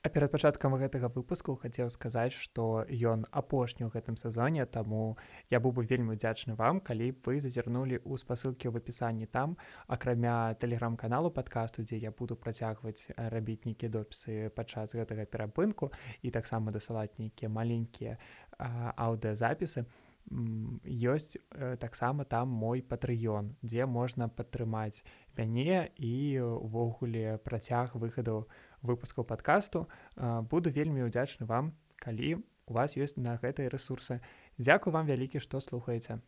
А перад пачаткам гэтага выпуску хацеў сказаць, што ён апошні ў гэтым сезоне, таму я быў бы вельмі удзячны вам, калі б вы зазірнулі ў спасылкі ў апісанні там, акрамя тэлеграм-каналу падкасту, дзе я буду працягваць рабіць нейкія допісы падчас гэтага перапынку і таксама дасылаць нейкія маленькія аўдыазапісы. Ёсць таксама там мой патрыён, дзе можна падтрымаць мяне і ўвогуле працяг выхаду выпускаў падкасту. Буду вельмі удзячны вам, калі у вас ёсць на гэтыя рэсурсы. Дзякуй вам вялікі, што слухаеце.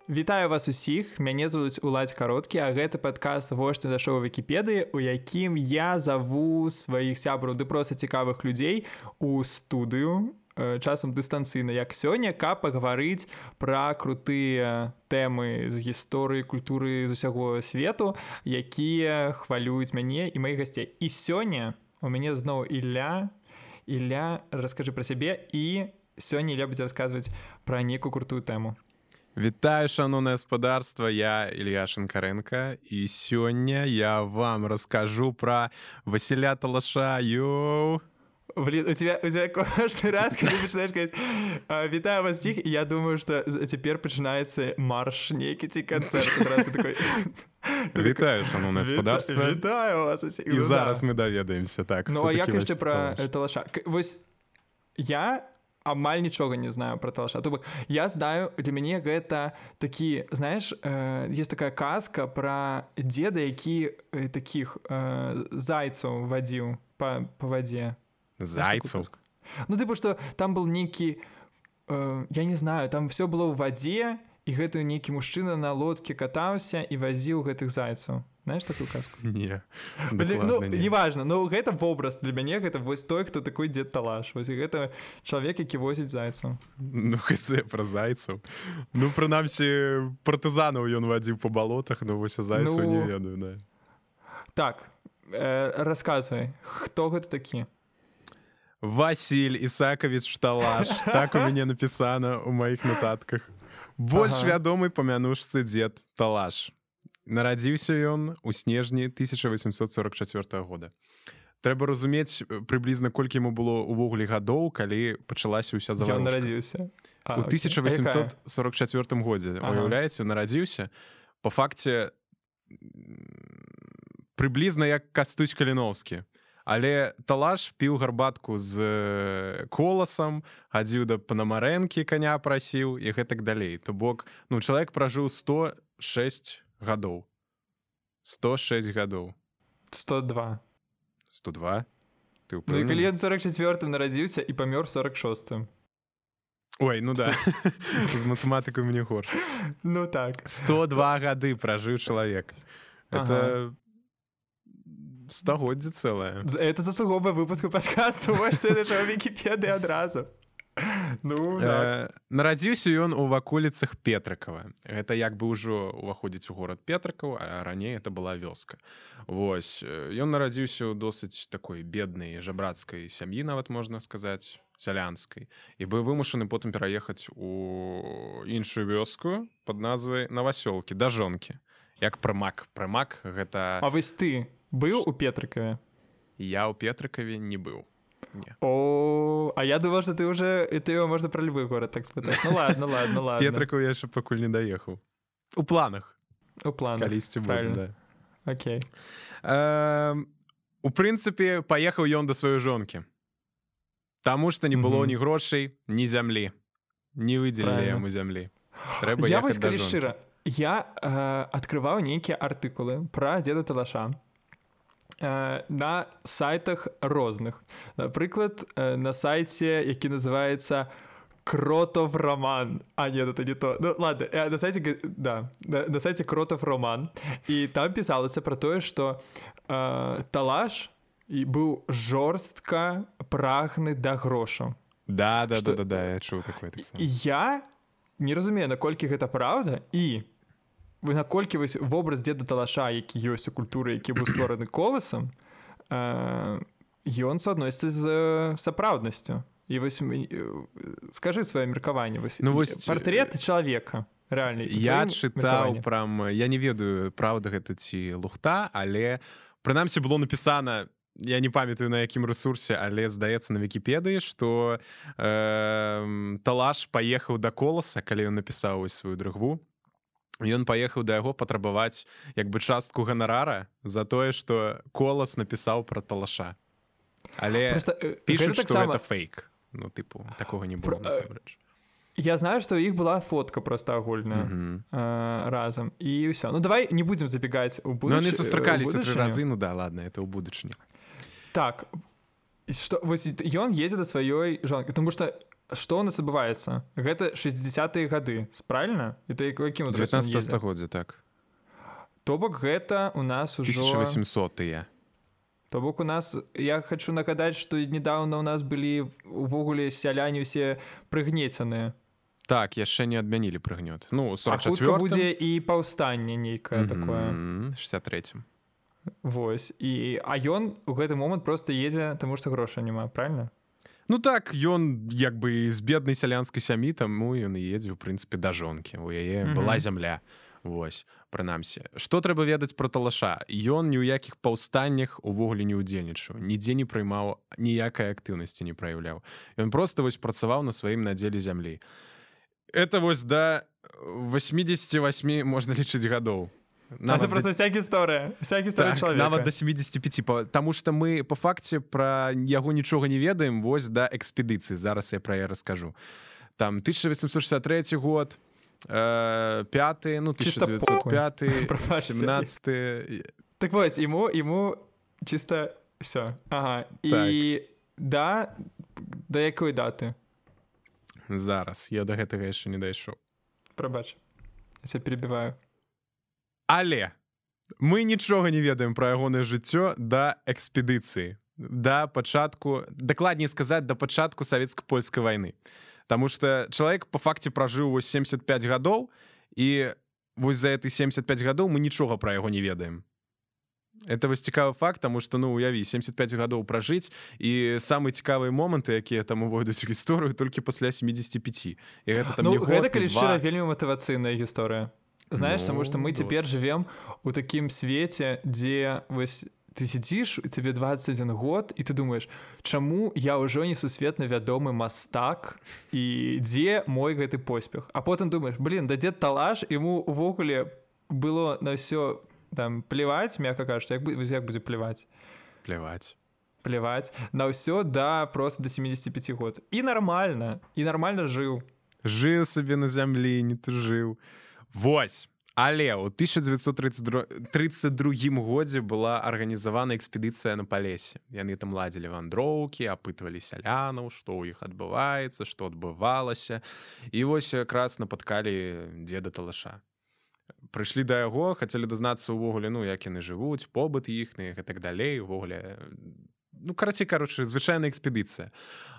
Вітаю вас усіх, мяне завуць Уладзь Кароткі, а гэта падкаст «Вошты за шоу Вікіпедыі», у якім я заву сваіх сябраў ды проста цікавых людзей у студыю, часам дыстанцыйна, як сёння, каб пагаварыць пра крутыя тэмы з гісторыі, культуры з усяго свету, якія хвалююць мяне і маіх гасцей. І сёння у мяне зноў Ілля. Ілля, раскажы пра сябе, і сёння Ілля будзе расказваць пра нейкую крутую тэму. Вітаю, шановное господарство, я Илья Шинкаренко, и сегодня я вам расскажу про Василя Талаша. Йоу! Блин, у тебя каждый раз, когда ты начинаешь говорить «Витаю вас всех», и я думаю, что теперь начинается марш, некий концерт. Вітаю, шановное господарство. Вітаю вас усіх. И зараз мы доведаемся. Так, ну, а як яшчэ про Талаша? Вось я амаль нічога не знаю про Талаша. То бок, я знаю, для мяне гэта такі, знаешь, есть такая казка про деда, які таких зайцаў вадзіў по вадзе. Зайцаў? Ну, типа, что там был нейкі, я не знаю, там все было ў вадзе, і гэты нейкі мужчына на лодке катаўся і вазіў гэтых зайцаў. Знаешь такую казку? Не, ну, неважно, но гэта вобраз для мяне, гэта вось той, хто такой Дед Талаш. Вось гэта чалавек, які возіць зайцаў. Ну, хэце пра зайцаў. Ну, прынамсі, партызанаў ён вадзіў па балотах, но вось зайцаў не ведаю, да. Так, расказвай, хто гэта такі? Васіль Ісакович Талаш. Так у мяне напісана ў маіх нотатках. Больш вядомы па мянушцы Дед Талаш. Нарадзіўся ён у снежні 1844 года. Трэба разумець прыблізна, колькі яму было ўвогуле гадоў, калі пачалася ўся заварушка. Ён нарадзіўся? У 1844 годзе. Уяўляеце, нарадзіўся. Па факце, прыблізна як Кастусь Каліноўскі. Але Талаш піў гарбатку з коласам, хадзіў да Панамарэнкі, каня прасіў і гэтак далей. То бок, ну, чалавек пражыў 106 гадоў. 106 гадоў. 102. 102? Ты ўпэўнены? Ну, і калі ён 44-м нарадзіўся і памёр 46-м. Ой, ну да. З матэматыкай мне горш. Ну так. 102 гады пражыў чалавек. Это стагоддзе цэлае. Это заслуговая выпуску падкасту. Вось ты нашаў Вікіпедыі адразу. Ну, так. Нарадзіўся ён у ваколіцах Петрыкава. Гэта як бы ўжо ўваходзіць у горад Петрыкаў, а раней это была вёска. Вось. Ён нарадзіўся ў досыць такой беднай жабрацкай сям'і, нават можна сказаць, сялянскай. І быў вымушаны потым пераехаць у іншую вёску пад назвай Навасёлкі, да жонкі. Як прымак. Прымак гэта... А вось ты быў у Петрыкаве? Я ў Петрыкаве не быў. Не. О, а я думал, что ты уже, ты его можно про любой город так спытаць. Ну ладно. Петрыкаў я яшчэ пакуль не даехаў. У планах. У планах. Калісьці будзе, да. Окей. У прынцыпе, паехаў ён да сваёй жонкі. Таму што не было ні грошай, ні зямлі. Не выдзелілі яму зямлі. Трэба ехаць да жонкі. Шчыра, я адкрываў нейкія артыкулы пра Деда Талаша на сайтах розных. Напрыклад, на сайце, які называецца Кротов Роман. А, нет, это не то. Ну, ладно, на сайте, да, на сайте Кротов Роман. І там пісалася про тое, што Талаш быў жорстка прагны да грошаў. Да, я чуў такое. Я не разумею, наколькі гэта праўда, і наколькі вось вобраз Деда Талаша, які ёсць у культуры, які быў створаны коласам, ён суадносіцца з сапраўднасцю. І вось скажы сваё меркаванне, вось, ну, вось партрэт чалавека. Реально. Я чытаў прям, я не ведаю, праўда гэта ці лухта, але прынамсі было напісана, я не памятаю на якім рэсурсе, але здаецца на Вікіпедыі, што Талаш паехаў да Коласа, калі ён напісаў сваю дрыгву. Ён паехаў да яго патрабаваць як бы частку ганарара за тое, што Колас напісаў пра Талаша. Але пішуць, што гэта фейк. Ну, тыпу, такога не было насамрэч. Я знаю, што ў іх была фотка проста агульная разам. І ўсё. Ну, давай не будзем забегаць у будучыню. Ну, яны сустракаліся 3 разы, ну да, ладно, это ў будучыню. Так, што, вось ён едзе да сваёй жонкі, тому што што у нас адбываецца? Гэта 60-е гады, правильно? Это якім 19 стагоддзя, так. То бок гэта у нас ужо 1800-е. То бок у нас, я хочу нагадаць, што недавно у нас былі увогуле сяляне ўсе прыгнецяныя. Так, яшчэ не адмянілі прыгнёт. Ну, 44-м. А хутка будзе і паўстанне нейкае такое. 63-м. Вось. А ён у гэты момант проста едзе, таму што грошай няма, правильно? Ну так, ён як бы з беднай сялянскай сям'і, таму ён і едзе, у прынцыпе, да жонкі. У яе была зямля. Вось, прынамсі. Што трэба ведаць пра Талаша? Ён ні ў якіх паўстаннях увогуле не ўдзельнічаў, нідзе не прыймаў, ніякай актыўнасці не праяўляў. Ён проста вось працаваў на сваім надзеле зямлі. Это вось да 88, можна лічыць, гадоў. Это просто вся гісторыя чалавека. Нават да 75, таму што мы па факце пра яго нічога не ведаем, вось да экспедыцыі. Зараз я пра яе раскажу. Там 1863 год, 5, ну 1905, 17. Так вось, ему чисто все. Ага. І да якой даты? Зараз, я да гэтага яшчэ не дайшоў. Прабач, я цябе перебіваю. Але мы нічога не ведаем пра ягонае жыццё да экспедыцыі, да пачатку, дакладней сказаць, да пачатку савецка-польскай вайны. Таму што чалавек па факце пражыў 75 гадоў, і вось за эти 75 гадоў мы нічога пра яго не ведаем. Это вось цікавы факт, таму што, ну, уяві, 75 гадоў пражыць, і самыя цікавыя моманты, якія там увойдуць у гісторыю, толькі пасля 75. І гэта там не год, гэта, калі шчыра, вельмі матывацыйная гісторыя. Знаешь, потому что мы теперь живем у таким свете, где вось, ты сидишь, тебе 21 год, и ты думаешь, чаму я ўжо не сусветна вядомы мастак, і дзе мой гэты поспех? А потым думаешь, блин, да дзед Талаш, ему увогуле было на ўсё там плевать, мягко кажучи, як будзе плевать? Плевать. На ўсё, да, просто до 75 год. І нормально жыў. Жыў сабе на зямлі, не тужыў. Вось, але ў 1932 годзе была арганізавана экспедыцыя на Палесе. Яны там ладзілі вандроўкі, апытвалі сялянаў, што ў іх адбываецца, што адбывалася. І вось якраз напаткалі дзеда Талаша. Прыйшлі да яго, хацелі дазнацца ўвогуле, ну, як яны жывуць, побыт іхны і так далей, увогуле... Ну, кароче, звычайная экспедыцыя.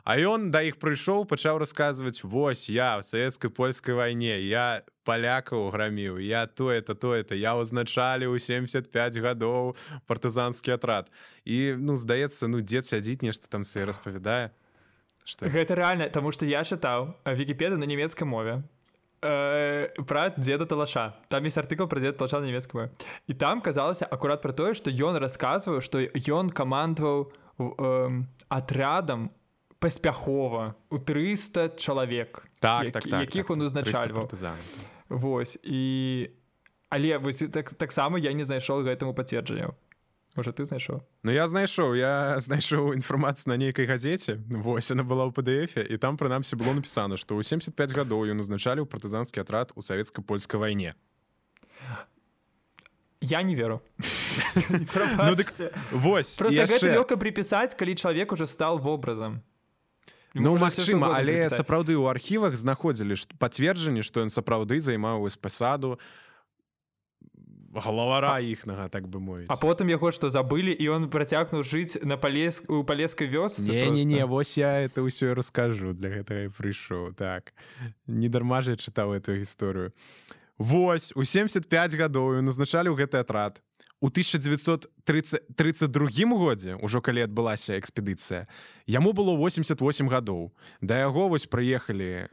А ён да іх прыйшоў, пачаў расказваць, вось, я в савецкай-польскай вайне, я палякаў граміў, я то-это, я ўзначаліў 75 гадоў партызанскі атрад. І, ну, здаецца, ну, дзед сядзіць, нешта там сабе распавядае. Гэта рэальна, таму што я чытаў Вікіпедыю на нямецкай мове про дзеда Талаша. Там есть артыкл про дзеда Талаша на нямецкай мове. І там казалася акурат про тое, што ён расказваў, што ён камандаваў атрядам паспяхова у 300 чалавек, якіх он узначальваў. Вось. Але таксама я не знайшоў гэтаму пацверджанняў. Можа, ты знайшоў? Ну, я знайшоў інфармацыю на нейкай газеце. Вось, она была ў PDF-е, і там, прынамсі, было напісана, што ў 75 гадоў ён узначаліў партызанскі атрад у савецка-польскай вайне. Я не веру. Ну, дык, вось, просто гэта лёгка припісаць, калі чалавек уже стал вобразам. Ну, магчыма, але сапраўды ў архівах знаходзілі пацверджанне, што ён сапраўды займаў вось пасаду галавара іхнага, так бы мовіць. А потым яго што забылі, і он працягнуў жыць у палескай вёсцы? Не, вось я это ўсё раскажу, для гэтага і прыйшоў. Так, не дарма ж я чытаў эту гісторыю. Вось, у 75 гадоў ён назначалі ў гэты атрад. у 1932 годзе, ужо калі адбылася экспедыцыя, яму было 88 гадоў. Да яго вось прыехалі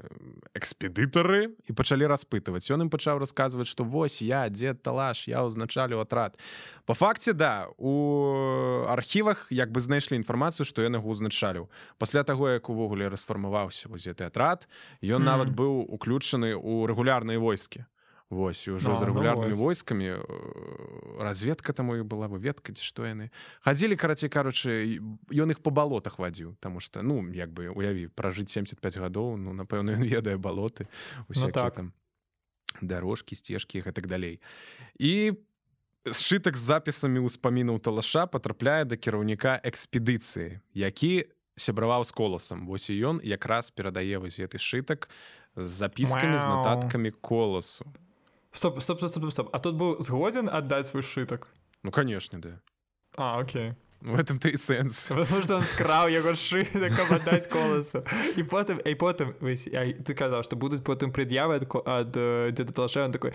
экспедытары і пачалі распытваць. Ён ім пачаў расказваць, што вось я, дзед Талаш, я ўзначалю атрад. Па факце, да, у архівах як бы знайшлі інфармацыю, што ён яго ўзначаліў. Пасля таго, як увогуле расфармаваўся вось гэты атрад, ён нават быў уключаны ў рэгулярныя войскі. Вось, і ўжо з рэгулярнымі войскамі разведка там у іх была, выведка, ці што яны. Хадзілі, карацей кажучы, ён іх па балотах вадзіў, таму што, ну, як бы, уяві, пражыць 75 гадоў, ну, напэўна, ён ведае балоты, усякія там дарожкі, сцежкі і гэтак далей. І сшытак з запісамі ўспамінаў Талаша патрапляе да кіраўніка экспедыцыі, які сябраваў з Коласам. Вось і ён якраз перадае вось гэты сшытак з запіскамі, з нататкамі Коласу. Стоп. А тут быў згодзін аддаць свой сшытак? Ну, конечно, да. Окей. В этом-то и сенс. Потому что он скраў яго сшытак, каб аддаць Коласу. І потым, ты казаў, што будуць потым пред'явы ад дзеда Талаша, он такой: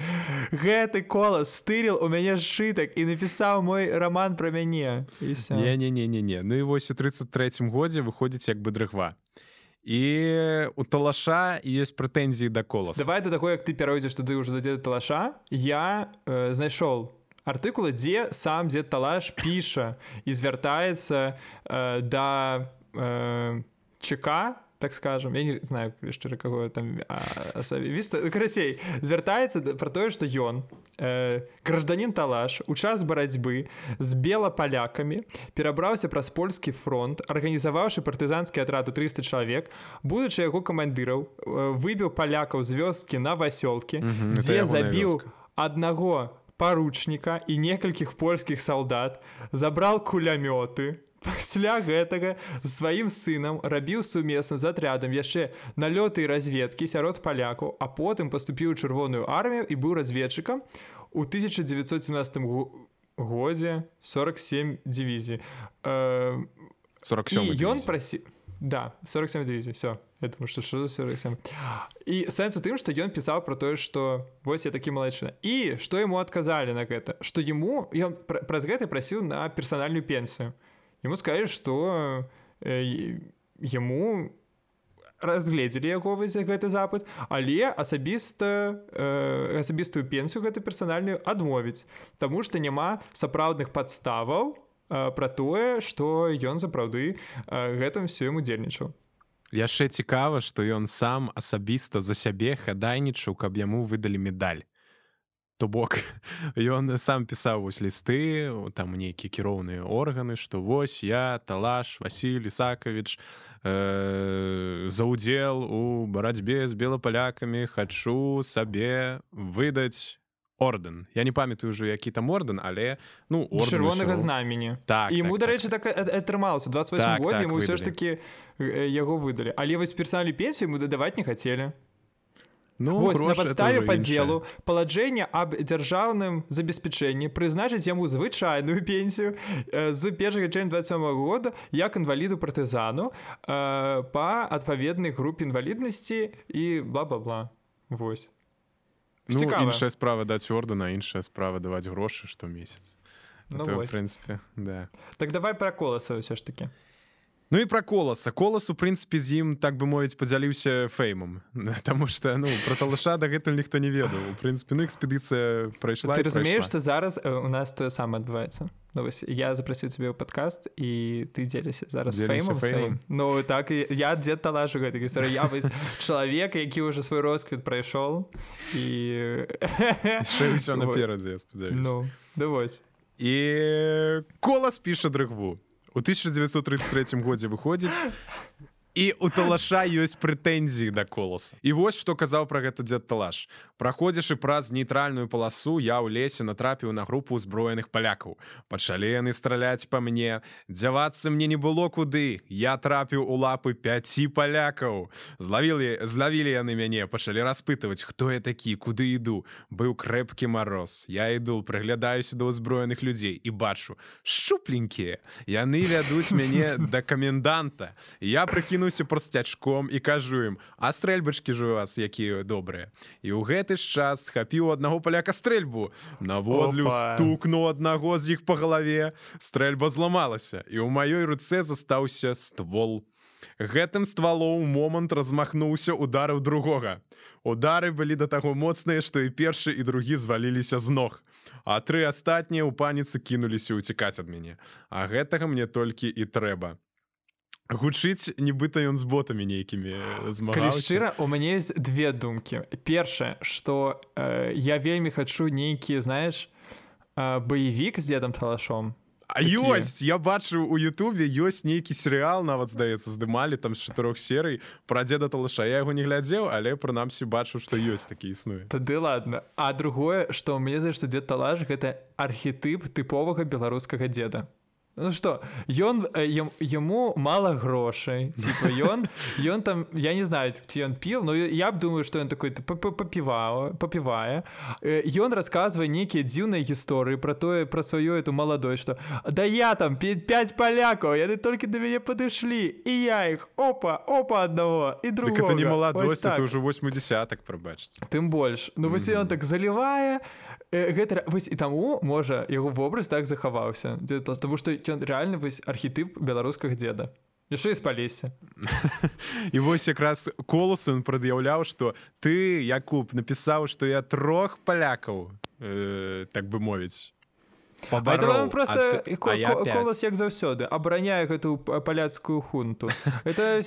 гэты Колас стырил у мяне сшытак і напісаў мой роман пра мяне. І всё. Не. Ну і вось у 33-м годзе выходзіць як бы дрыгва. І у Талаша ёсць прэтэнзіі да Коласа. Давай да таго, як ты пяройдзеш туды ўжо да дзеда Талаша, я знайшоў артыкулы, дзе сам дзед Талаш піша і звяртаецца да ЧК, так скажем, я не знаю, шчыра, каго там карацей, звяртаецца пра тое, што ён, гражданін Талаш, у час барацьбы з белапалякамі перабраўся праз польскі фронт, арганізаваўшы партызанскі атрад у 300 чалавек, будучы яго камандыраў, выбіў палякаў з вёскі на Васёлкі, дзе забіў аднаго паручніка і некалькіх польскіх салдат, забраў кулямёты. Пасля гэтага сваім сынам рабіў сумесна з атрядам яшчэ налёты і разведкі сярод палякаў, а потым паступіў у Чырвоную армію і быў разведчыкам. У 1917 годзе 47 дывізій. 47 дывізій. І ён прасіў... Да, 47 дывізій, все. Я думаю, што за 47. І сэнс у тым, што ён пісаў пра тое, што вось я такі малайчына. І што яму адказалі на гэта? Што яму... Ён праз гэта прасіў на персанальную пенсію. Ему сказали, что ему разгледзелі яго вось гэты запыт, але асабістую пенсію гэту персанальную адмовіць, таму што няма сапраўдных падставаў пра тое, што ён сапраўды гэтым всё ім удзельнічаў. Яшчэ цікава, што ён сам асабіста за сябе хадайнічаў, каб яму выдалі медаль. То бок, ён сам пісаў вось лісты, там нейкія кіроўныя органы, што вось я, Талаш, Васіль Ісакавіч, за ўдзел у барацьбе з белапалякамі хачу сабе выдаць ордэн. Я не памятаю ўжо, які там ордэн, але, ну, ордэн... Чырвонага знамені. Так, і яму, дарэчы, так атрымалася. У 28 годзе яму ўсё ж такі яго выдалі. Але вось персанальную пенсію яму дадаваць не хацелі. Ну, вось, на падставе падзелу паладжэння аб дзяржаўным забеспячэнні прызначыць яму звычайную пенсію з 1 чэрвеня 27 года як інваліду партызану па адпаведнай групе інваліднасці і бла-бла-бла. Вось. Ну, іншая справа даць ордэн, а іншая справа даваць грошы штомесяц. Ну, это, вось. В прынцыпе, да. Так давай пра Коласа ўсё ж такі. Ну і пра Коласа. Колас, у прынцыпе, з ім, так бы мовіць, падзяліўся фэймам. Таму што, ну, пра Талаша дагэтуль ніхто не ведаў. У прынцыпе, ну, экспедыцыя прайшла Ты разумееш, што зараз у нас тое самае адбываецца? Ну, вось, я запрасіў цябе ў падкаст, і ты дзеліся зараз фэймам сваім. Ну, так, і я дзед Талаш у гэтай гісторыі. Я вось чалавек, які ўжо свой росквіт прайшоў, і... Яшчэ ўсё наперадзе, я спадзяюся. Ну, да вось. І Колас піша дрыгву. У 1933 годзе выходзіць, і у Талаша ёсць прэтэнзіі да Коласа. І вось што казаў пра гэта дзед Талаш. Праходзячы праз нейтральную паласу, я ў лесе натрапіў на групу ўзброеных палякаў. Пачалі яны страляць па мне. Дзявацца мне не было куды. Я трапіў у лапы 5 палякаў. Злавілі яны мяне, пачалі распытваць, хто я такі, куды іду. Быў крэпкі мароз. Я іду, прыглядаюся да ўзброеных людзей і бачу, шчупленькія. Яны вядуць мяне да каменданта. Я прыкінуў кінуўся прасцячком і кажу ім: а стрэльбачкі ж у вас якія добрыя. І ў гэты ж час схапіў аднаго паляка стрэльбу, наводлю стукнуў аднаго з іх па галаве, стрэльба зламалася, і ў маёй руцэ застаўся ствол. Гэтым ствалом момант размахнуўся, ударыў другога. Удары былі да таго моцныя, што і першы, і другі зваліліся з ног. А 3 астатнія ў паніцы кінуліся ўцікаць ад мяне. А гэтага мне толькі і трэба. Гучыць, нібыта ён з ботамі нейкімі змагаўся. Калі шчыра, у мяне ёсць 2 думкі. Першае, што я вельмі хачу нейкі, знаеш, баевік з дзедам Талашом. А ёсць, я бачу у Ютубе ёсць нейкі серыял, нават, здаецца, здымалі там з 4 серый пра дзеда Талаша. Я яго не глядзеў, але прынамсі бачу, што ёсць такі існуе. Тады ладно. А другое, што мне здаецца, што дзед Талаш гэта архетып тыповага беларускага дзеда. Ну что, ему мало грошей, типа, ён там, я не знаю, ці ён піл, но я б думаю, что ён такой попівае. Ён рассказывае нейкія дзіўныя гісторыі про сваю эту маладой, что да я там 5 палякаў, яны толькі да мяне падышлі, і я іх, опа аднаго, і другога. Так это не маладосць, это ўжо 80-ак, прабачце. Тым больш. Ну, вось ён так залівае, гэта, вось, і таму, можа, яго вобраз так захаваўся, таму што ён рэальна вось архетып беларускага дзеда. Яшчэ і з Палесся. І вось якраз Коласу ён прад'яўляў, што ты, Якуб, напісаў, што я 3 палякаў, так бы мовіць, пабароў. Просто Колас, як заўсёды, абараняе гэту паляцкую хунту. Это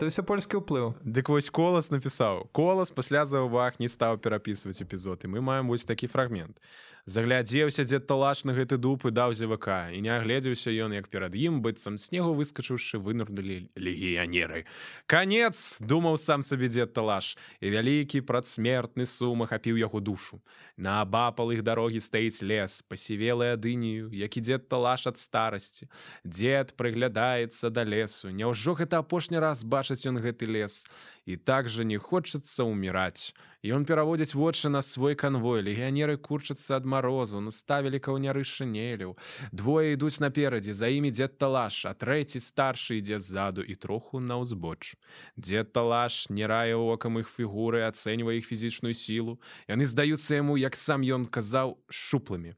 ўсё польскі ўплыў. Дык вось Колас напісаў. Колас пасля заўваг не стаў перапісваць эпізод, і мы маем вось такі фрагмент. Заглядзеўся дзед Талаш на гэты дуб і даў зевака, і не агледзеўся ён, як перад ім, быццам снегу выскачыўшы, вынырнулі легіянеры. Канец, думаў сам сабе дзед Талаш, і вялікі прадсмертны сум ахапіў яго душу. Наабапал іх дарогі стаіць лес, пасівелы ад інію, як і дзед Талаш ад старасці. Дзед прыглядаецца да лесу. Няўжо гэта апошні раз бачыць ён гэты лес? І так жа не хочацца ўміраць. Ён пераводзіць вочы на свой канвой. Легіянеры курчацца ад марозу, наставілі каўняры шынеляў. 2 ідуць наперадзе, за імі дзед Талаш, а 3 старшы ідзе ззаду і троху наўзбоч. Дзед Талаш не рае окам іх фігуры, ацэньвае іх фізічную сілу. Яны здаюцца яму, як сам ён казаў, шчуплымі.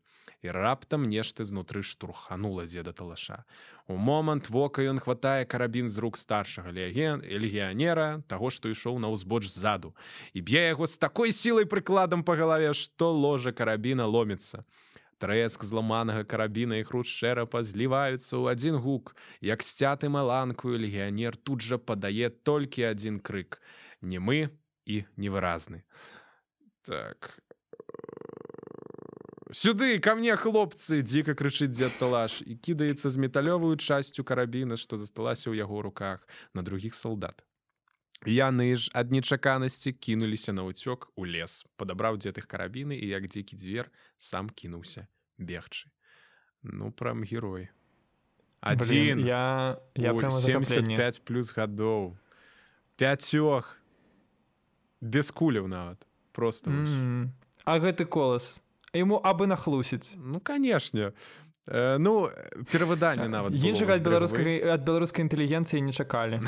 І раптам нешта знутры штурханула дзеда Талаша. У момант вока ён хватае карабін з рук старшага легіянера, таго, што ішоў наўзбоч ззаду, і б'е яго з такой сілай прыкладам па галаве, што ложа карабіна ломіцца. Трэск зламанага карабіна і хруст шэрапа зліваюцца ў адзін гук. Як сцяты маланкую, легіянер тут жа падае толькі адзін крык. Немы і невыразны. Так... «Сюды, ко мне, хлопцы!» — дзіка крычыць дзед Талаш і кідаецца з металёвую часцю карабіна, што засталася ў яго руках, на другіх салдат. Яны ж ад нечаканасці кінуліся на ўцёк у лес. Падабраў дзед іх карабіны і, як дзікі звер, сам кінуўся бегчы. Ну, прям герой. Адзін у 75 плюс гадоў. 5 без куляў нават. Просто. А гэты Колас? Ему абы нахлусіць. Ну, канешне. Ну, перавыданне нават было. Іншага ад беларускай інтэлігенцыі не чакалі.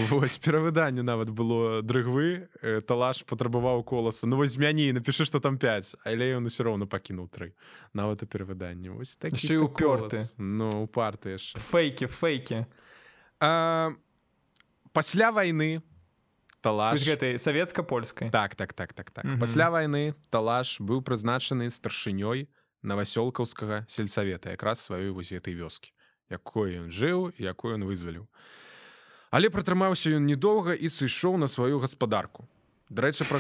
Вось, перавыданне нават было дрыгвы. Талаш патрабаваў Коласа. Ну, вось змяні, напішы, што там 5. Але ён усё роўна пакінуў 3. Нават у перавыданні. Вось такі Ще і упёрты. Ну, упарты яшчэ. Фейкі. Пасля вайны Талаш... Гэтай савецка-польскай. Так. Пасля вайны Талаш быў прызначаны старшынёй Новасёлкаўскага сельсавета, якраз сваёй вось гэтай вёскі, якой ён жыў і якой ён вызваліў. Але пратрымаўся ён недоўга і сышоў на сваю гаспадарку. Дарэчы, пра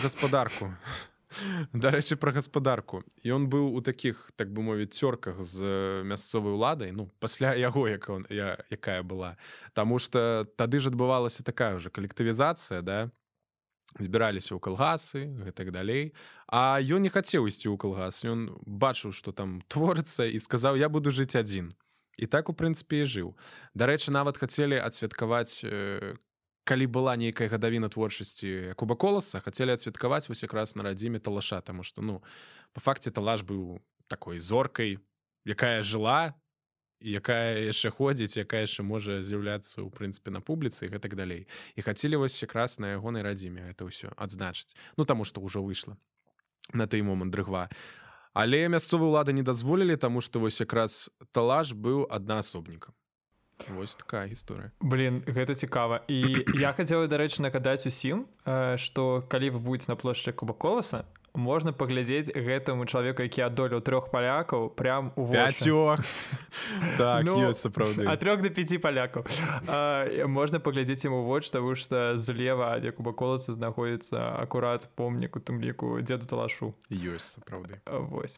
гаспадарку. Ён быў у такіх, так бы мовіць, цёрках з мясцовай уладай, ну, пасля яго, якая была. Таму што тады ж адбывалася такая ўжо калектывізацыя, да? Збіраліся ў калгасы, гэтак далей. А ён не хацеў ісці ў калгас. Ён бачыў, што там творыцца, і сказаў, я буду жыць адзін. І так, у прынцыпе, і жыў. Дарэчы, нават хацелі адсвяткаваць, калі была нейкая гадавіна творчасці Якуба Коласа, хацелі адсвяткаваць вось якраз на радзіме Талаша, таму што, ну, па факце Талаш быў такой зоркай, якая жыла якая яшчэ ходзіць, якая яшчэ можа з'яўляцца ў прынцыпе на публіцы і гэтак далей. І хацелі вось якраз на ягонай радзіме гэта ўсё адзначыць. Ну таму што ўжо выйшла на той момант дрыгва. Але мясцовыя ўлады не дазволілі, таму што вось якраз талаш быў аднаасобнікам. Вось такая гісторыя. Блин, гэта цікава. І я хацеў, дарэчы, нагадаць усім, што калі вы будзеце на плошчы Куба Коласа, можна паглядзець гэтаму чалавеку, які адолеў 3 палякаў прям у вочы. 5. Так, ёсць сапраўды. Ад 3 до 5 палякаў. Можна паглядзець ему ў вочы, таму што злева ад Куба Коласа знаходзіцца акурат помнік у тым ліку дзеду Талашу. Ёсць сапраўды. Вось.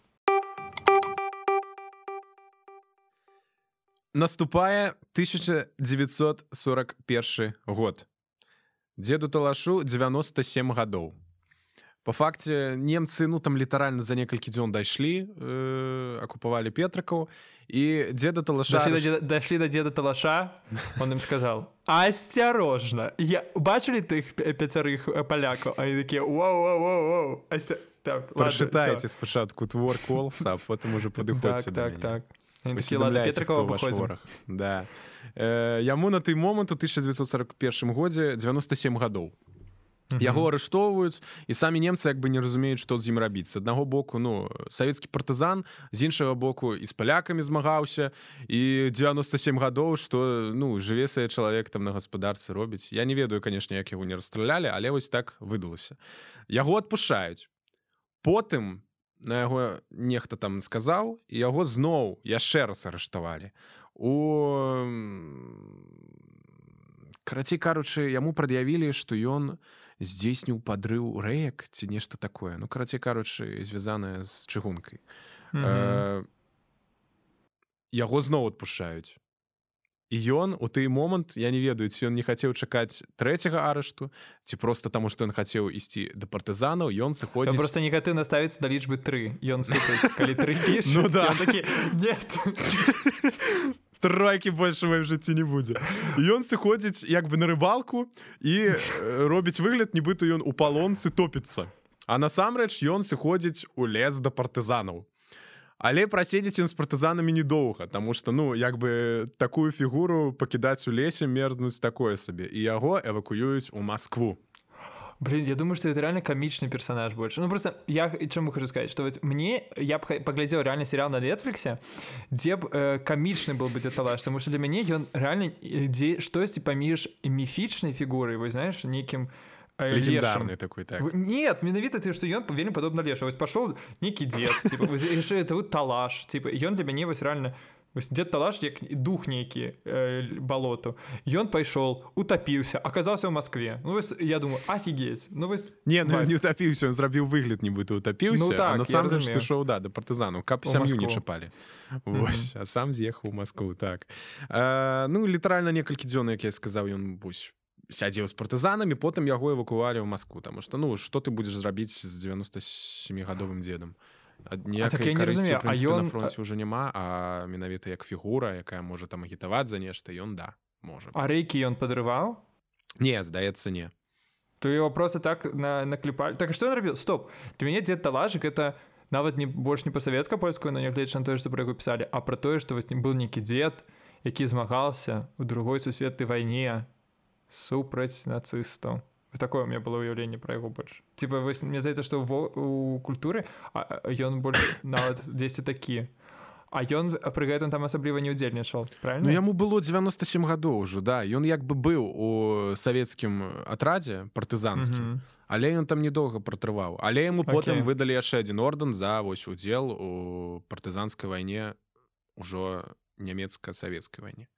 Наступае 1941 год. Дзеду Талашу 97 гадоў. Па факце немцы, ну там літаральна за некалькі дзён дайшлі, акупавалі Петрыкаў, і дзеда Талаша... Дайшлі да дзеда Талаша, он ім сказал: «Асцярожна! Бачылі тых 5 палякаў?» А яны такія: «Воу-воу-воу-воу!» Прачытайце спачатку твор Коласа, а потым ужо падыходзьце да мяне. Так. Петрыкова выходзім. Да. Яму на той момант у 1941 годзе 97 гадоў. Яго арыштоўваюць, і самі немцы як бы не разумеюць, што з ім рабіць. З аднаго боку, ну, савецкі партызан, з іншага боку і з палякамі змагаўся, і 97 гадоў, што, ну, жыве сабе чалавек там на гаспадарцы робіць. Я не ведаю, канешне, як яго не расстралялі, але вось так выдалася. Яго адпушчаюць. Потым на яго нехта там сказаў, і яго зноў яшчэ раз арыштавалі. Карацей кажучы, яму прад'явілі, што ён здзейсніў падрыў рэек ці нешта такое. Ну, карацей кажучы, звязанае з чыгункай. Яго зноў адпушчаюць. І ён у той момант, я не ведаю, ці ён не хацеў чакаць 3-го арышту, ці проста таму, што ён хацеў ісці да партызанаў, ён сыходзіць... Ён проста негатыўна ставіцца да лічбы 3. Ён сыпаць, калі 3 пішуць, ну, да. Ён такі: «Нет». 3 больше в маім жыцці не будзе. І ён сыходзіць як бы на рыбалку і робіць выгляд, нібыта ён у палонцы топіцца. А насамрэч ён сыходзіць у лес да партызанаў. Але праседзіць ён з партызанамі недоўга, таму што, ну, як бы такую фігуру пакідаць у лесе, мерзнуць такое сабе. І яго эвакуююць у Маскву. Блин, я думаю, что это реально комичный персонаж больше. Ну, просто я чему хочу сказать, что вот я поглядел реально сериал на Netflix, где комичный был бы Дзед Талаш, потому что для меня он реально штосьці паміж міфічнай фігурай, вы знаешь, неким легендарный такой, так. Нет, менавіта ты, что ён вельмі падобна лешу. Вось пошел некий дед, типа, яшчэ зовут Талаш, типа, и он для мяне вось реально... Дзед Талаш, як дух нейкі балоту. Ён пайшоў, утапіўся, аказаўся ў Маскве. Ну, вось, я думаю, офігеть. Ну, вось... Не, ну, не утапіўся, ён зрабіў выгляд, нібыта утапіўся, ну, так, а насамрэч сышоў, да, да партызанаў, каб сям'ю не чапалі. Вось, а сам з'ехаў у Маскву, так. Ну, літаральна некалькі дзён, як я сказаў, ён, вось, сядзеў з партызанамі, потым яго эвакувалі ў Маскву, таму што, ну, што ты будзеш зрабіць з 97-гадовым дзедам? Ніякай карысці, у прынцыпе, на фронце ўжо няма, а менавіта як фігура, якая можа там агітаваць за нешта, ён, да, можа. А рэйкі ён падрываў? Не, здаецца, не. То его просто так наклепалі. Так, што ён рабіў? Стоп. Для мяне Дзед Талашык это нават больш не па-савецка-польскую, но нягледзячы на тое, што пра яго пісалі, а пра тое, што быў нейкі дзед, які змагаўся ў другой сусветнай вайне супраць нацыстаў. Такое у меня было уяўленне пра яго больш. Типа, мне здаецца, што у культуры ён больш нават дзесьці такі. А ён пры гэтым там асабліва не ўдзельнічаў, правильно? Ну, яму было 97 гадоў ўжо, да. Ён як бы быў у савецкім атрадзе партызанскім, але ён там недоўга пратрываў. Але яму потым выдалі яшчэ адзін ордэн за вось удзел у партызанскай вайне, ужо нямецка-савецкай вайне.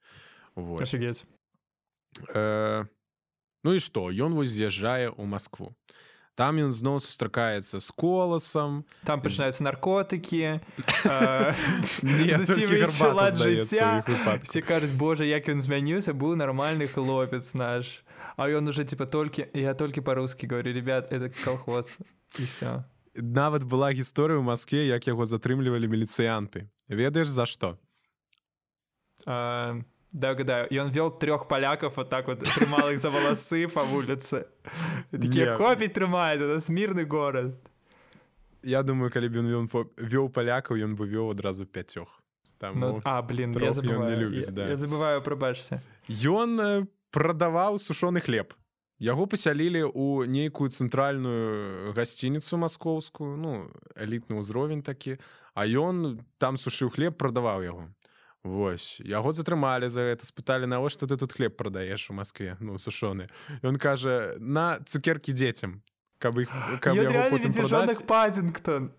Офігеть. Ну і што? Ён вось з'язджае ў Маскву. Там ён зноў сустракаецца з Коласам. Там пачынаюцца наркотыкі. Толькі гарбата, здаецца, ў іх выпадку. Все кажуць, боже, як ён змяніўся, быў нармальны хлопец наш. А ён уже, типа, я толькі па-русски говорю, ребят, это колхоз. І все. Нават была гісторыя ў Маскве, як яго затрымлівалі міліцыянты. Ведаеш, за што? Да, угадаю. И он вел 3 поляков, вот так вот трымал их за волосы по улице. Такие, копить трымает, это мирный город. Я думаю, калі б ён вёў палякаў, ён бы вёў адразу 5. Таму блин, трох я ён забываю. не любіць, да. Я забываю, прабачся. Ён прадаваў сушоны хлеб. Яго пасялілі ў нейкую цэнтральную гасцініцу маскоўскую, ну, элітны ўзровень такі, а ён там сушыў хлеб, прадаваў яго. Вось, яго затрымалі за гэта, спыталі, навошта ты тут хлеб прадаеш у Маскве, ну, сушоны. Ён кажа, на цукеркі дзецям, каб яго потым прадаць.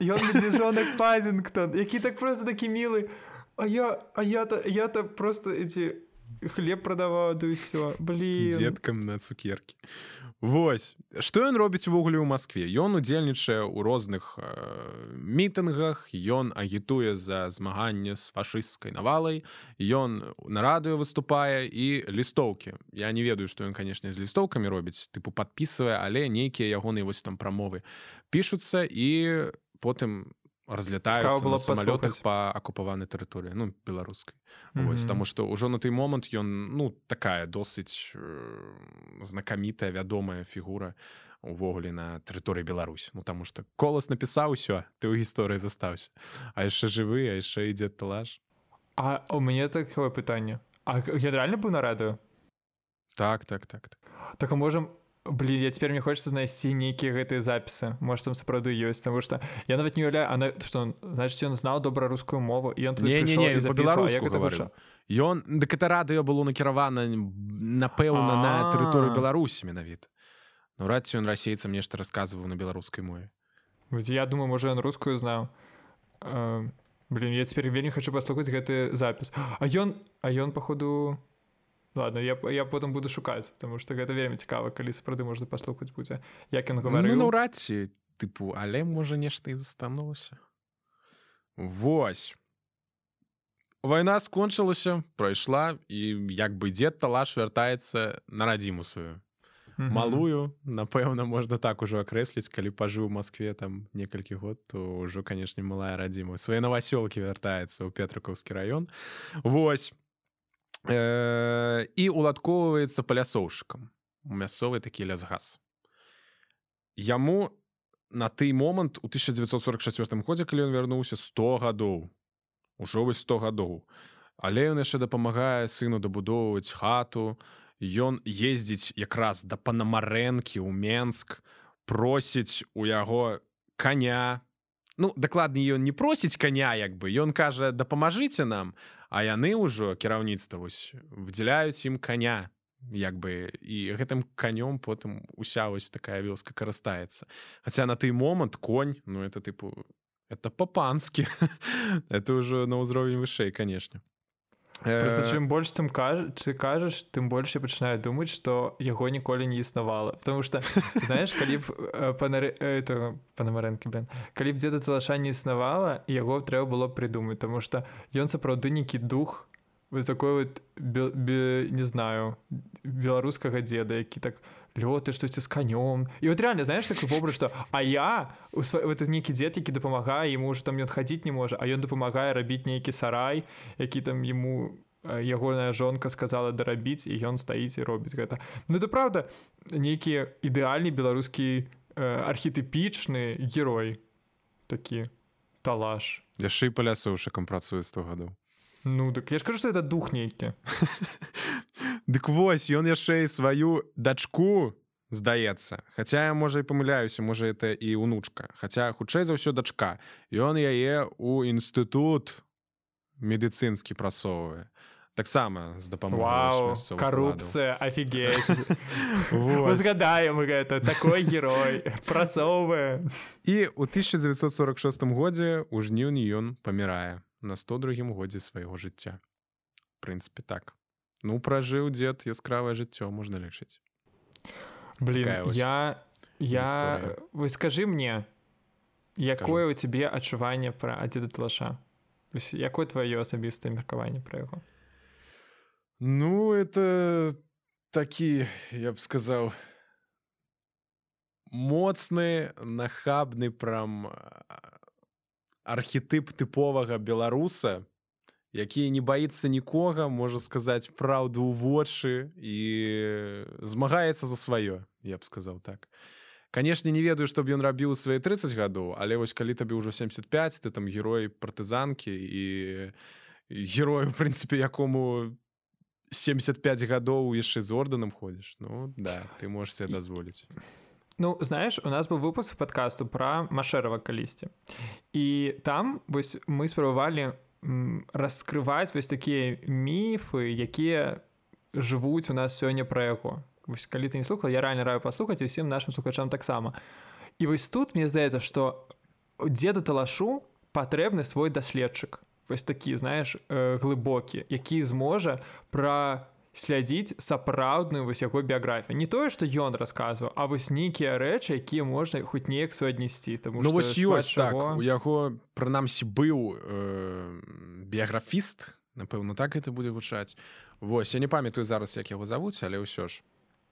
Ён медвежонок Паддингтон, які так просто такі мілы. А я-то просто хлеб прадаваў, да ўсё, блин. Дзеткам на цукеркі. Вось, што ён робіць увогуле ў Маскве? Ён удзельнічае ў розных мітынгах, ён агітуе за змаганне з фашысцкай навалай, ён на радыё выступае і лістоўкі. Я не ведаю, што ён, канешне, з лістоўкамі робіць, тыпу падпісвае, але нейкія ягоныя вось там прамовы пішуцца і потым разлетаюцца на самалётах па акупаванай тэрыторыі, ну, беларускай. Вось, таму што ўжо на той момант ён, ну, такая досыць знакамітая, вядомая фігура увогуле на тэрыторыі Беларусі. Ну, таму што Колас напісаў усё, ты ў гісторыі застаўся. А яшчэ жывы, а яшчэ ідзе талаш. А у мяне такое пытанне. А ён рэальна быў на радыё? Так. Так, а можам... Блин, я цяпер мне хочется знайсці нейкія гэтыя запісы. Может, там сапраўды ёсць, таму што я нават не уяўляю, што значыць ён знаў добра рускую мову і ён туды прыйшоў і запісваў, як гэта гучала. Ён, дык гэта радыё было накіравана, напэўна, на тэрыторыю Беларусі менавіта. Ну, рад ці ён расейцам нешта расказваў на беларускай мове. Я думаю, можа, ён рускую знаў. Блин, я цяпер вельмі хочу паслухаць гэты запіс. А ён, паходу... Ладно, я потым буду шукаць, потому што гэта вельмі цікава, калі сапраўды можна паслухаць будзе, як ён гаварыў. Ну, наўрад ці, тыпу, але можа нешта і застанулася. Вось. Вайна скончылася, прайшла, і як бы дзед Талаш вяртаецца на радзіму сваю. Малую, напэўна, можна так ужо акрэсліць, калі пажыў у Маскве там некалькі год, то ўжо, канешне, малая радзіма. Свае навасёлкі вяртаецца ў Петрыкаўскі раён. Вось. І уладкоўваецца палясоўшчыкам у мясцовы такі лясгас. Яму на той момант у 1944 годзе, калі ён вярнуўся, 100 гадоў. Ужо вось 100 гадоў. Але ён яшчэ дапамагае сыну дабудоўваць хату. Ён ездзіць якраз да Панамарэнкі ў Менск, просіць у яго каня. Ну, дакладней, ён не просіць каня, як бы. Ён кажа, дапамажыце нам, а яны ўжо, кіраўніцтва, вось, выдзяляюць ім каня, як бы, і гэтым канём потым уся вось такая вёска карыстаецца. Хаця на той момант конь, ну, это, тыпу, это па-панскі. Это ўжо на ўзровень вышэй, канешне. Просто чым больш ты кажаш, тым больш я пачынаю думаць, што яго ніколі не існавала. Потому што, знаеш, калі б Панамарэнкі, калі б дзеда Талаша не існавала, яго трэба было прыдумаць, тому што ён сапраўды нейкі дух вось такой вот, не знаю, беларускага дзеда, які так лёты штосьці з канём. І вот реально, знаеш, такой вобраз, што это нейкі дзед, які дапамагае, яму ўжо там ён хадзіць не можа, а ён дапамагае рабіць нейкі сарай, які там яму ягоная жонка сказала дарабіць, і ён стаіць і робіць гэта. Ну, это правда, нейкі ідэальны беларускі архетыпічны герой такі Талаш. Яшчэ і палясоўшчыкам працуе 100 гадоў. Ну, так я ж кажу, што это дух нейкі. Дык вось, ён яшчэ і сваю дачку, здаецца. Хаця я, можа, і памыляюся, можа, это і унучка. Хаця, хутчэй за ўсё, дачка. Ён яе ў інстытут медыцынскі прасоўвае. Таксама з дапамогай мясцовых уладаў. Карупцыя, офігеть. Мы згадаем гэта, такой герой, прасоўвае. І ў 1946 годзе ў жніўні ён памірае на 102-м годзе свайго жыцця. В прынцыпе, так. Ну, пражыў дзед яскравае жыццё, можна лічыць. Блин, Вось скажы мне, якое у цябе адчуванне пра дзеда Талаша? Якое тваё асабістае меркаванне пра яго? Ну, это такі, я б сказаў, моцны, нахабны прям архетып тыповага беларуса, які не баіцца нікога, можа сказаць праўду ў вочы і змагаецца за сваё, я б сказаў так. Канешне, не ведаю, што б ён рабіў у свае 30 гадоў, але вось калі табе ўжо 75, ты там герой партызанкі і герою, в прынцыпе, якому 75 гадоў яшчэ з ордэнам ходзіш. Ну, да, ты можаш себе дазволіць. Ну, знаеш, у нас быў выпуск падкасту пра Машэрава калісьці. І там вось мы спрабавалі раскрываць вось такія міфы, якія жывуць у нас сёння пра яго. Вось калі ты не слухаў, я рэальна раю паслухаць і ўсім нашым слухачам таксама. І вось тут мне здаецца, што дзеду Талашу патрэбны свой даследчык. Вось такі, знаеш, глыбокі, які зможа праслядзіць сапраўдную вось яго біяграфію. Не тое, што ён расказваў, а вось нейкія рэчы, якія можна хоць неяк суаднесці. Ну вось ёсць так, у яго, прынамсі, быў біяграфіст, напэўна, так гэта будзе гучаць. Вось, я не памятаю зараз, як яго завуць, але ўсё ж.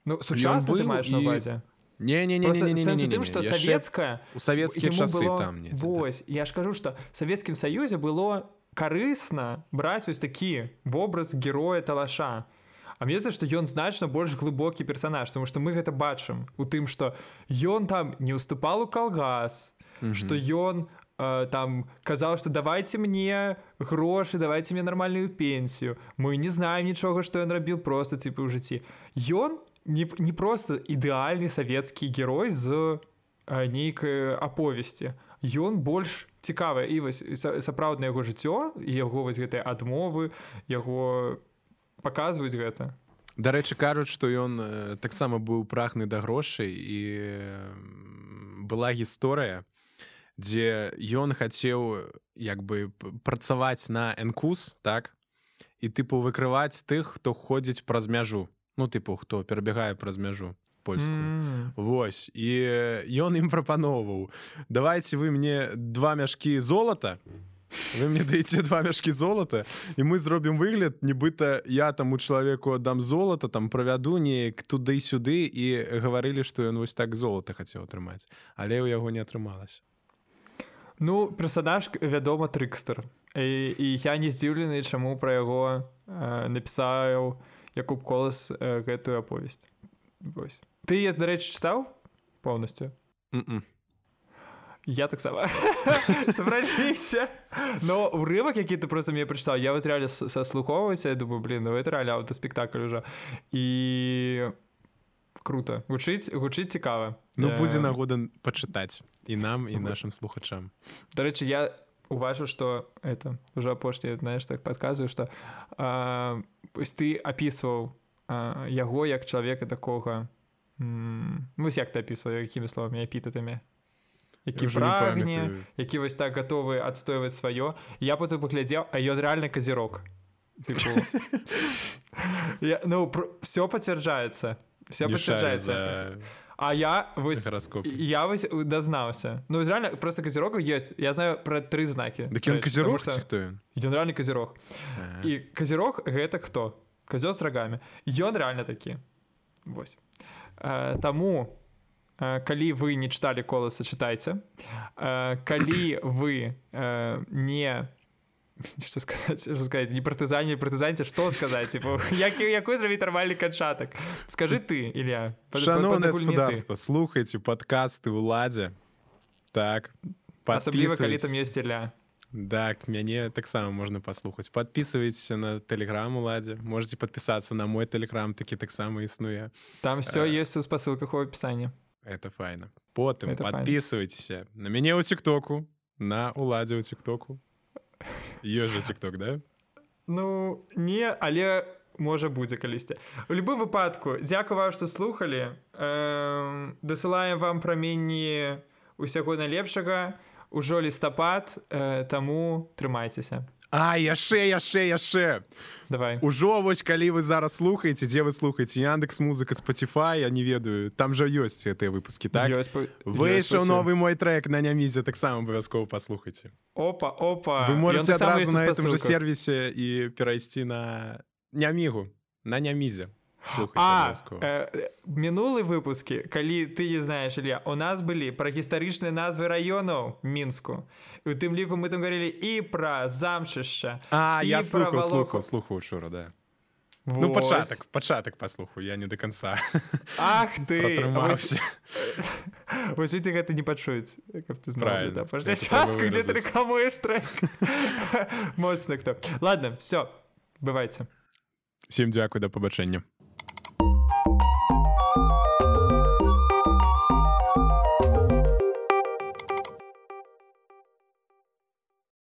Ну, сучасна ты маеш на увазе? Не-не-не-не-не-не-не. Сэнс у тым, што савецкая... У савецкія часы было... там недзе. Вось, я ж кажу, што в Савецкім Саюзе было карысна браць вось такі вобраз героя Талаша. А мне здаецца, што ён значна больш глыбокі персанаж, тому што мы гэта бачым у тым, што ён там не ўступал у калгас, што ён там казаў, што давайце мне грошы, давайце мне нармальную пенсію. Мы не знаем нічога, што ён рабіў просто типа ў жыцці. Ён не просто ідэальны савецкі герой з нейкай аповесці. Ён больш цікавы. І вось сапраўднае яго жыццё, і яго вось гэтыя адмовы, яго паказваюць гэта. Дарэчы, кажуць, што ён таксама быў прагны да грошай, і была гісторыя, дзе ён хацеў як бы працаваць на НКУС, так? І тыпу выкрываць тых, хто ходзіць праз мяжу. Ну, тыпу, хто перабягае праз мяжу польскую. Вось. І ён ім прапаноўваў: давайте вы мне 2 мяшкі золата, вы мне даеце 2 мяшкі золата, і мы зробім выгляд, нібыта я таму чалавеку аддам золата, там правяду неяк туды і сюды, і гаварылі, што ён вось так золата хацеў атрымаць. Але ў яго не атрымалася. Ну, персонаж, вядома, трыкстер. І я не здзіўлены, чаму пра яго напісаў Якуб Колас гэтую аповесць. Вось. Ты, дарэчы, чытаў поўнасцю? Я таксама. Сабраліся. Но урывак, які ты просто мне прачытаў, я вот реально сослухоўваюся, я думаю, блин, ну это реально аўтаспектакль уже. І круто. Гучыць цікава. Ну, будзе нагода пачытаць і нам, і нашым слухачам. Дарэчы, я уважу, што это уже апошняе, знаеш, так падказваю, што ты апісваў яго як чалавека такога, вось як ты апісваў, якімі словамі, эпітэтамі, які прагне, які вось так гатовы адстойваць сваё. Я потым паглядзеў, а ён рэальна казірок. Ну, все пацвярджаецца. Все пацвярджаецца. А я вось дазнаўся. Ну, реально, просто казірогаў ёсць. Я знаю пра 3 знакі. Дык ён казірог ці хто ён? Ён рэальны казірог. І казірог гэта хто? Казёл з рагамі. Ён рэальна такі. Вось. Таму, калі вы не чыталі Коласа, чытайце. Калі вы не... Что сказать? Не партызаньце, што сказаць? Якой зрабіць нармальны канчатак? Скажы ты, Ілля. Шаноўнае гаспадарства, слухайце падкасты ўладзе. Так, асабліва, калі там ёсць Ілля. Так, мяне таксама можна паслухаць. Падпісвайцеся на тэлеграм уладзе. Можете падпісацца на мой тэлеграм, такі таксама існуе. Там все ёсць у спасылках у апісанні. Это файна. Потым падпісвайцеся на мяне ў тиктоку, на уладзе ў тиктоку. Ёсць жа тикток, да? Ну, не, але можа будзе калісьці. У любым выпадку, дзякую вам, што слухалі. Дасылаем вам праменні усяго найлепшага. Ужо лістапад, таму трымайцеся. Яшчэ. Давай. Ужо вось калі вы зараз слухаеце, дзе вы слухаеце? Яндекс.Музыка, Spotify, я не ведаю. Там жа ёсць гэтыя выпускі, так? Выйшаў новы мой трек на Нямізе, таксама абавязкова паслухайце. Опа. Вы можете адразу на гэтым жа сервісе і перайсці на Нямігу, на Нямізе. Мінулыя выпускі, калі ты не знаеш, Ілля, у нас былі пра гістарычныя назвы раёнаў Мінску. І ў тым ліку мы там говорили і пра замчышча. Я слухаў учора, да. Ну, пачатак паслухаю, я не до конца. Ах ты! Пратрымаўся. Вось людзі гэта не пачуюць, каб ты знаў. Правильно. Паждай частку, дзе ты рэкламуеш трек. Моцна хто. Ладно, все, бывайце. Всім дзякуй, да пабачэння.